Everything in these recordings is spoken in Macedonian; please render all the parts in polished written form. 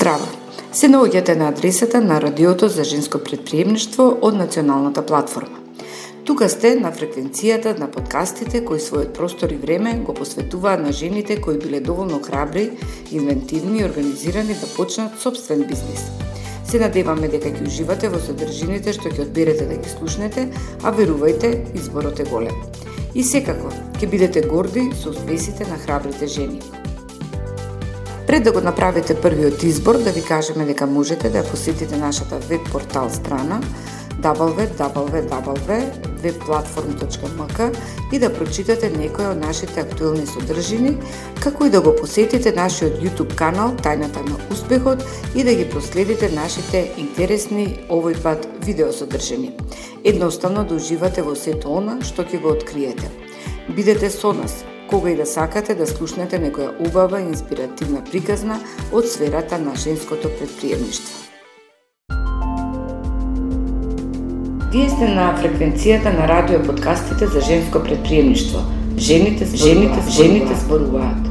Здраво! Се наоѓате на адресата на Радиото за женско претприемништво од Националната платформа. Тука сте на фреквенцијата на подкастите кои својот простор и време го посветуваат на жените кои биле доволно храбри, инвентивни и организирани да почнат собствен бизнис. Се надеваме дека ќе уживате во содржините што ќе одберете да ги слушнете, а верувајте, изборот е голем. И секако, ќе бидете горди со успесите на храбрите жени. Пред да го направите првиот избор, да ви кажеме дека можете да посетите нашата веб-портал страна www.webplatform.mk и да прочитате некои од нашите актуелни содржини, како и да го посетите нашиот YouTube канал Тајната на успехот и да ги проследите нашите интересни овој пат видеосодржини. Едноставно да уживате во сето она што ќе го откриете. Бидете со нас кога и да сакате да слушнете некоја убава и инспиративна приказна од сферата на женското претприемништво. Вие сте на фреквенцијата на радио подкастите за женско претприемништво. Жените зборуваат.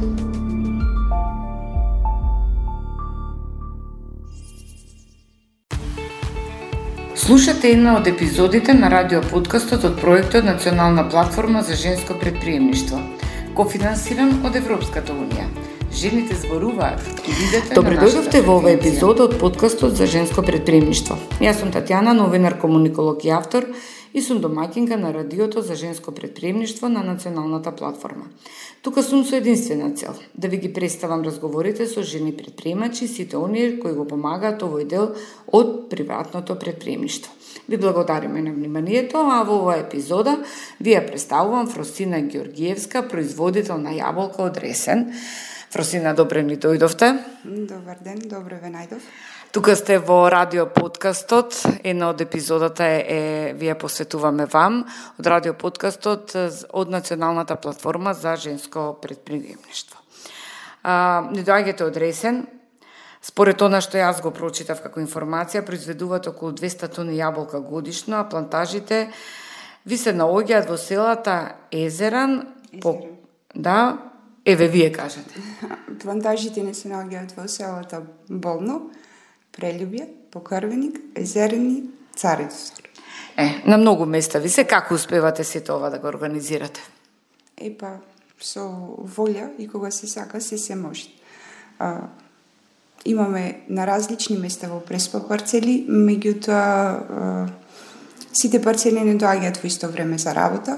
Слушате една од епизодите на радио подкастот од проектот Национална платформа за женско претприемништво, кофинансиран од Европската унија. Жените зборуваат и видете. Добре дојдовте во овој епизод од подкастот за женско претприемништво. Јас сум Татјана, новинар, комуниколог и автор и сум домаќинка на Радиото за женско претприемништво на Националната платформа. Тука сум со единствена цел да ви ги представам разговорите со жени претприемачи, сите оние кои го помагаат овој дел од приватното претприемништво. Ви благодариме на вниманието, а во оваа епизода ви ја представувам Фросина Ѓоргиевска, производител на јаболка од Ресен. Фросина, добре ни дојдовте. Добар ден, добре ве најдов. Тука сте во радио подкастот, една од епизодата ви ја посветуваме вам, од радио подкастот од Националната платформа за женско претприемништво. Не доаѓате од Ресен. Според она што јас го прочитав како информација, произведуваат околу 200 тони јаболка годишно, а плантажите ви се наоѓаат во селата Езеран. Да, еве вие кажете. Плантажите не се наоѓаат во селата Болно, Прелюбје, Покрвеник, Езерени, Царевцор. На многу места ви се, како успевате сето ова да го организирате? Со волја и кога се сака се може. Имаме на различни места во Преспа парцели, меѓутоа сите парцели не доаѓаат во исто време за работа.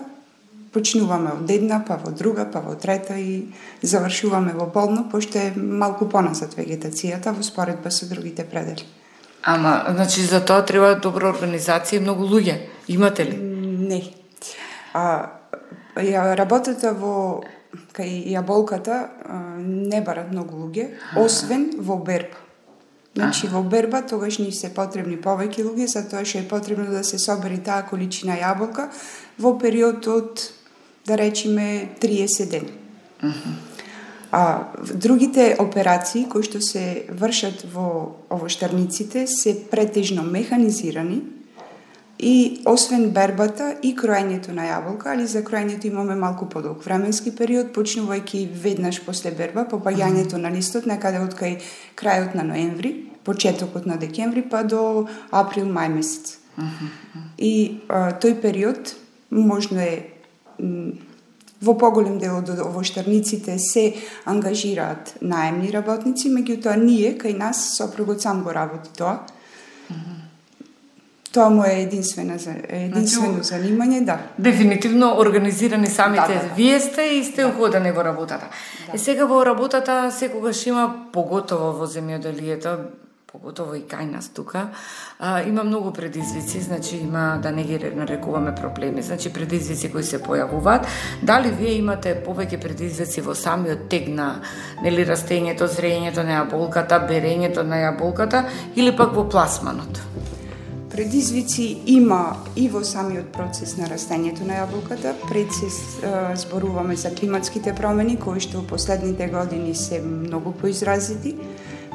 Почнуваме од една, па во друга, па во трета и завршуваме во Болно, пошто е малку поназад вегетацијата во споредба со другите предели. Ама, значи за тоа треба добра организација и многу луѓе. Имате ли? Не. Работата кај јаболката не барат многу луѓе, освен во берба. Значи во берба тогаш ни се потребни повеќе луѓе, затоа што е потребно да се собери таа количина јаболка во период од, да речеме, 30 дена. Другите операции кои што се вршат во овоштарниците се претежно механизирани и освен бербата и кроењето на јаболка, али за кроењето имаме малку подолг временски период, почнувајќи веднаш после берба, попаѓањето на листот некаде од кај крајот на ноември, почетокот на декември, па до април-мај месец. И тој период можно е во поголем дел од овоштарниците се ангажираат наемни работници, меѓутоа ние кај нас сопругот сам го работи тоа. Тоа му е единствено занимање, да. Дефинитивно организирани самите вие сте и сте уходени во работата. Сега во работата секогаш има, поготово во земјоделието, поготово и кај нас тука, има многу предизвици, значи има, да не ги нарекуваме проблеми, значи предизвици кои се појавуваат. Дали вие имате повеќе предизвици во самиот тек на растењето, зрењето на јаболката, берењето на јаболката или пак во пласманот? Предизвици има и во самиот процес на растењето на јаболката. Пред се зборуваме за климатските промени, кои што во последните години се многу поизразити,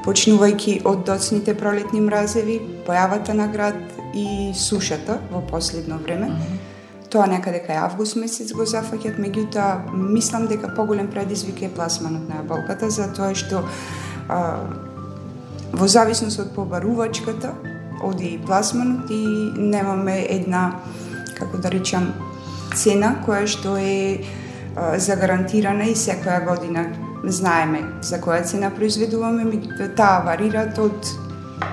почнувајќи од доцните пролетни мразеви, појавата на град и сушата во последно време. Тоа некаде кај август месец го зафаќат, меѓутоа мислам дека поголем предизвик е пласманот на јаболката, затоа што во зависност од побарувачката, оди и пласманот и немаме една, како да речам, цена која што е загарантирана и секоја година знаеме за која цена произведуваме, таа варира од,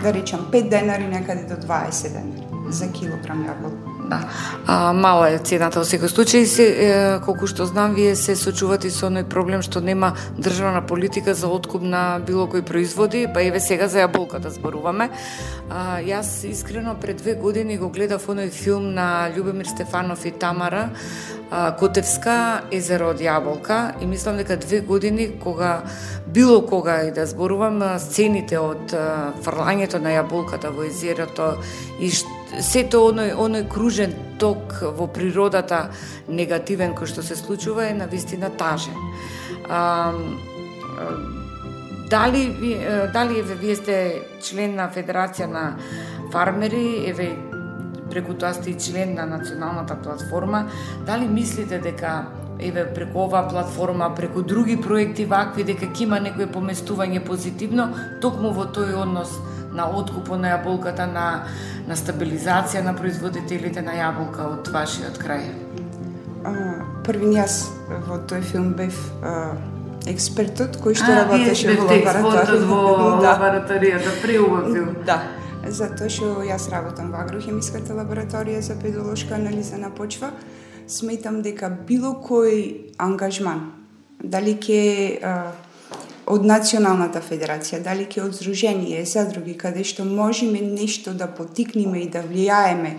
да речам, 5 денари некаде до 20 денари за килограм јаболка. Да. Мала е цената во секој случај, колку што знам, вие се сочувате со оној проблем што нема државна политика за откуп на било кои производи, па еве сега за јаболката зборуваме. Јас искрено пред 2 години го гледав оној филм на Љубомир Стефанов и Тамара Котевска, Езеро од јаболка, и мислам дека 2 години кога било кога и да зборувам сцените од фрлањето на јаболката во езерото и сето оној кружен ток во природата негативен кој што се случува е навистина тажен. Дали вие сте член на Федерација на фармери, еве преку тоа сте и член на националната платформа, дали мислите дека еве преку оваа платформа, преку други проекти вакви, дека ќе има некое поместување позитивно токму во тој однос на откупот на јаболката, на стабилизација на производителите на јаболка од вашиот крај? Првин јас во тој филм бев експертот кој што работеше во лабораторија. Во лабораторијата, преубав филм. Да, затоа што јас работам во агрохемиската лабораторија за педолошка анализа на почва. Сметам дека било кој ангажман, дали ќе од Националната федерација, дали ќе од Здружение, задруги, каде што можеме нешто да потикнеме и да влијаеме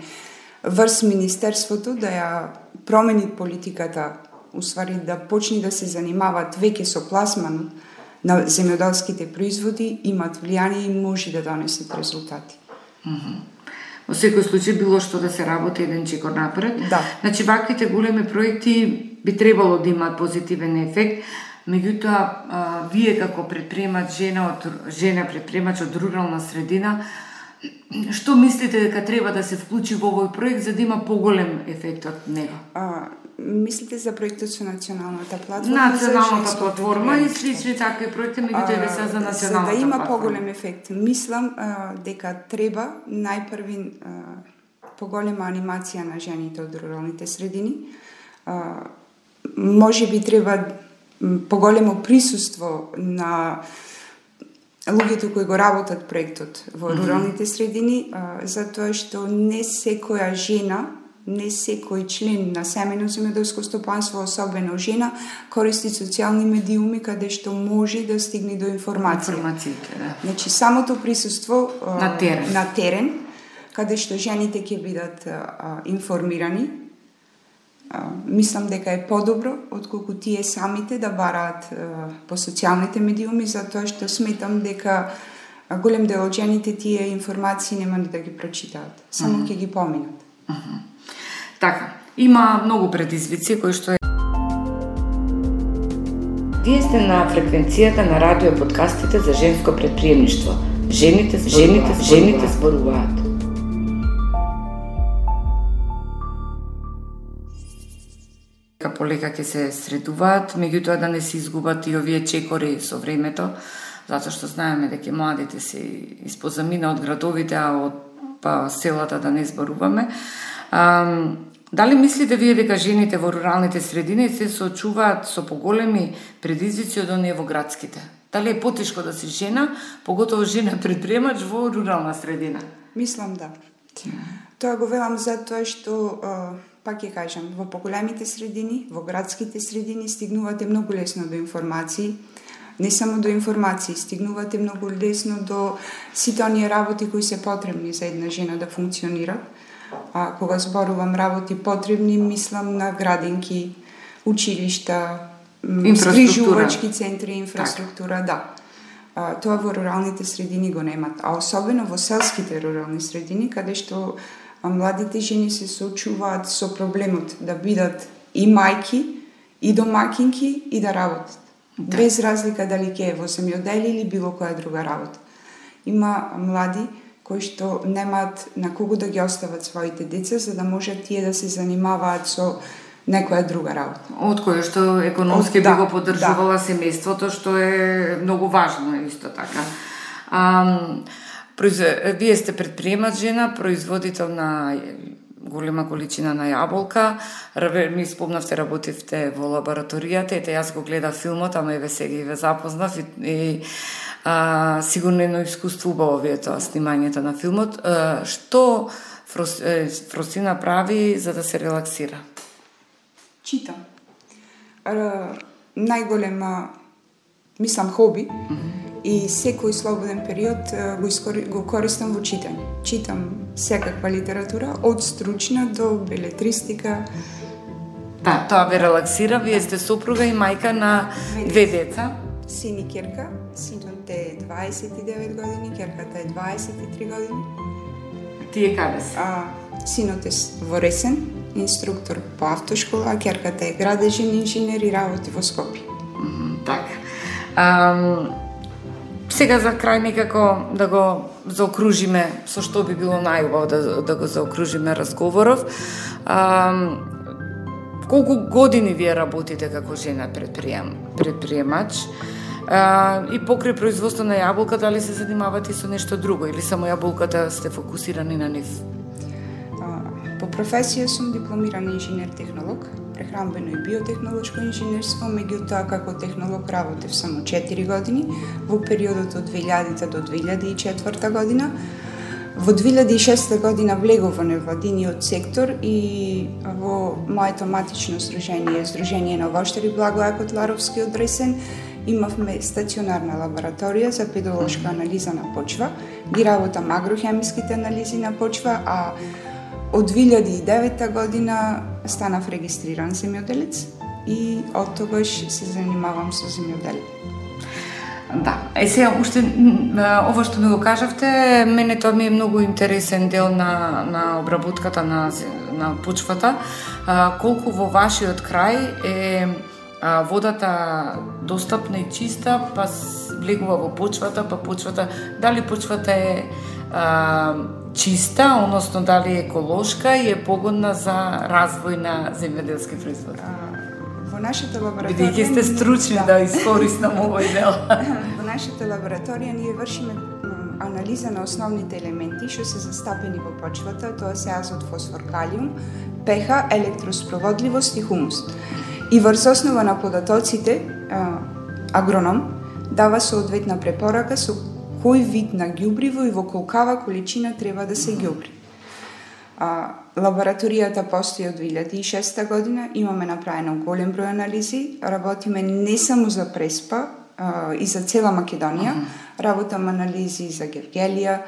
врз Министерството, да ја промени политиката, усвари да почни да се занимаваат веќе со пласманот на земјоделските производи, имат влијание и може да донесат резултати. Во секој случај било што да се работи еден чекор напред. Да. Значи ваквите големи проекти би требало да имаат позитивен ефект. Меѓутоа, вие како предприемач, жена предприемач од рурална средина, што мислите дека треба да се вклучи во овој проект за да има поголем ефект од него? Мислите за проектот со националната платформа? Националната платформа и слични такви проекти, меѓутоа се за националната платформа. За да има поголем ефект, мислам дека треба најпрви поголема анимација на жените од руралните средини. Може би треба поголемо присуство на луѓето кои го работат проектот во руралните средини, затоа што не секоја жена, не секој член на семејно земјоделско стопанство, особено жена, користи социјални медиуми каде што може да стигне до информација. Да. Значи, самото присуство на терен, каде што жените ќе бидат информирани, мислам дека е подобро отколку тие самите да бараат по социјалните медиуми, затоа што сметам дека голем дел од жените тие информации нема ни да ги прочитаат, само ќе ги поминат. Така, има многу предизвици кои што е... Вие сте на фреквенцијата на радио подкастите за женско предприемништво. Жените зборуваат. Полека ќе се средуваат, меѓутоа да не се изгубат и овие чекори со времето, затоа што знаеме дека младите се испозамина од градовите, а од селата да не зборуваме. Дали мислите вие дека жените во руралните средини се соочуваат со поголеми предизвици од оние во градските? Дали е потешко да си жена, поготово жена предприемач во рурална средина? Мислам да. Тоа го велам затоа што пак ќе кажам, во поголемите средини, во градските средини стигнувате многу лесно до информации, не само до информации, стигнувате многу лесно до сите оние работи кои се потребни за една жена да функционира. Кога зборувам работи потребни, мислам на градинки, училишта, згрижувачки центри, инфраструктура, да. Тоа во руралните средини го немат, а особено во селските рурални средини, каде што младите жени се соочуваат со проблемот да бидат и мајки, и домакинки, и да работат. Да. Без разлика дали ќе е во земјоделие или било која друга работа. Има млади кои што немаат на кого да ги остават своите деца, за да можат тие да се занимаваат со некоја друга работа. Од која што економски би го поддржувала семејството, што е многу важно исто така. Вие сте предприемач жена, производител на голема количина на јаболка. Ми спомнавте, работивте во лабораторијата. Ете, јас го гледав филмот, ама еве сега и ве запознав и сигурно едно искуство убаво ви е тоа снимањето на филмот. Што Фросина прави за да се релаксира? Читам. Најголема, мислам, хоби и секој слободен период го користам во читање. Читам секаква литература, од стручна до белетристика. Да, тоа ве релаксира. Вие сте сопруга и мајка на две деца. Син и ќерка. Синот е 29 години, ќерката е 23 години. Тие каде се? Синот е во Ресен, инструктор по автошкола, а ќерката е градежен инженер и работи во Скопје. Така. Сега за крај некако да го заокружиме, со што би било најубаво да го заокружиме разговоров. Колку години вие работите како жена предприемач? И покрај производство на јаболка, дали се занимавате со нешто друго или само јаболката сте фокусирани на нив? По професија сум дипломиран инженер-технолог, прехранбено и биотехнолошко инженерство, меѓутоа како технолог работев само 4 години во периодот од 2000 до 2004 година. Во 2006 година влегов во невладиниот сектор и во моето матично здружение, Здружение на воштари Благоја Котларовски од Ресен, имавме стационарна лабораторија за педолошка анализа на почва, ги работам агрохемиските анализи на почва, а од 2009 година станав регистриран земјоделец и од тогаш се занимавам со земјоделие. Да, сега уште ова што ми го кажавте, мене тоа ми е многу интересен дел на обработката на почвата. Колку во вашиот крај е водата достапна и чиста, па влегува во почвата, па почвата, дали почвата е чиста, односно дали е еколошка и е погодна за развој на земјоделски производ? Во нашата лабораторија... Бидејќи сте стручни да искористам овој дел. Во нашата лабораторија ние вршиме анализа на основните елементи што се застапени во почвата, тоа се азот, фосфор, калиум, pH, електроспроводливост и хумус. И врз основа на податоците, агроном дава соодветна препорака со кој вид на ѓубриво и во колкава количина треба да се ѓубри. Лабораторијата постои од 2006 година, имаме направено голем број анализи, работиме не само за Преспа и за цела Македонија, работам анализи за Гевгелија.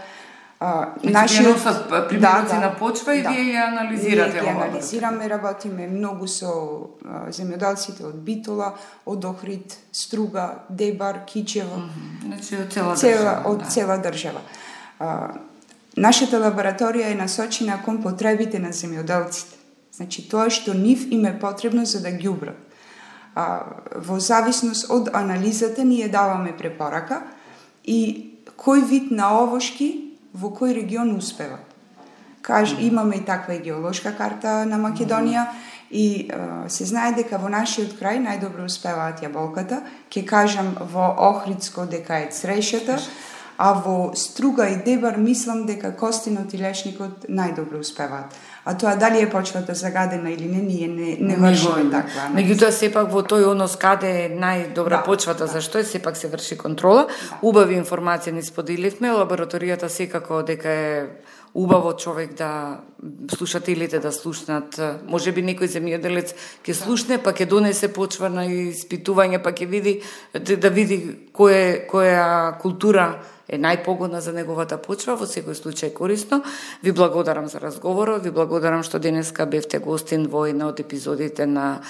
Нашиот примероци на почва и вие ја анализирате. Ние ја анализираме, работиме многу со земјоделците од Битола, од Охрид, Струга, Дебар, Кичево. Значи од цела држава. Нашата лабораторија е насочена кон потребите на земјоделците. Значи тоа што нив им е потребно за да ѓубрат. Во зависност од анализата ние даваме препорака и кој вид на овошки во кој регион успеват. Имаме и таква и геолошка карта на Македонија и се знае дека во нашиот крај најдобро успеваат јаболката. Ќе кажам во Охридско дека е црешата, а во Струга и Дебар мислам дека костинот и лешникот најдобро успеваат. А тоа дали е почвата загадена или не, ние не вршиме таква анализа. Меѓутоа сепак во тој однос каде е најдобра почвата, зашто е сепак се врши контрола. Убави информации ни споделивме, лабораторијата секако дека е убаво човек да слушателите да слушнат. Можеби некој земјоделец ќе слушне, па ќе донесе почва на испитување, па ќе види да види која култура е најпогодна за неговата почва, во секој случај корисно. Ви благодарам за разговорот, ви благодарам што денеска бевте гостин во една од епизодите на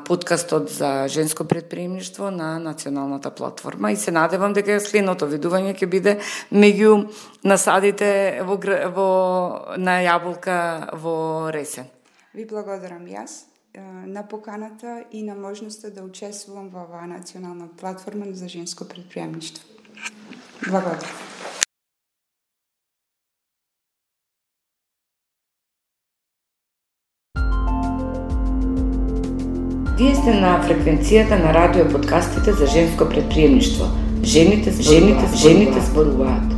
подкастот за женско предприемништво на националната платформа и се надевам дека следното видување ќе биде меѓу насадите на јаболка во Ресен. Ви благодарам јас на поканата и на можноста да учествувам во оваа национална платформа за женско предприемништво. Благодарам. Вие сте на фреквенцијата на радио подкастите за женско предприемништво. Жените зборуваат.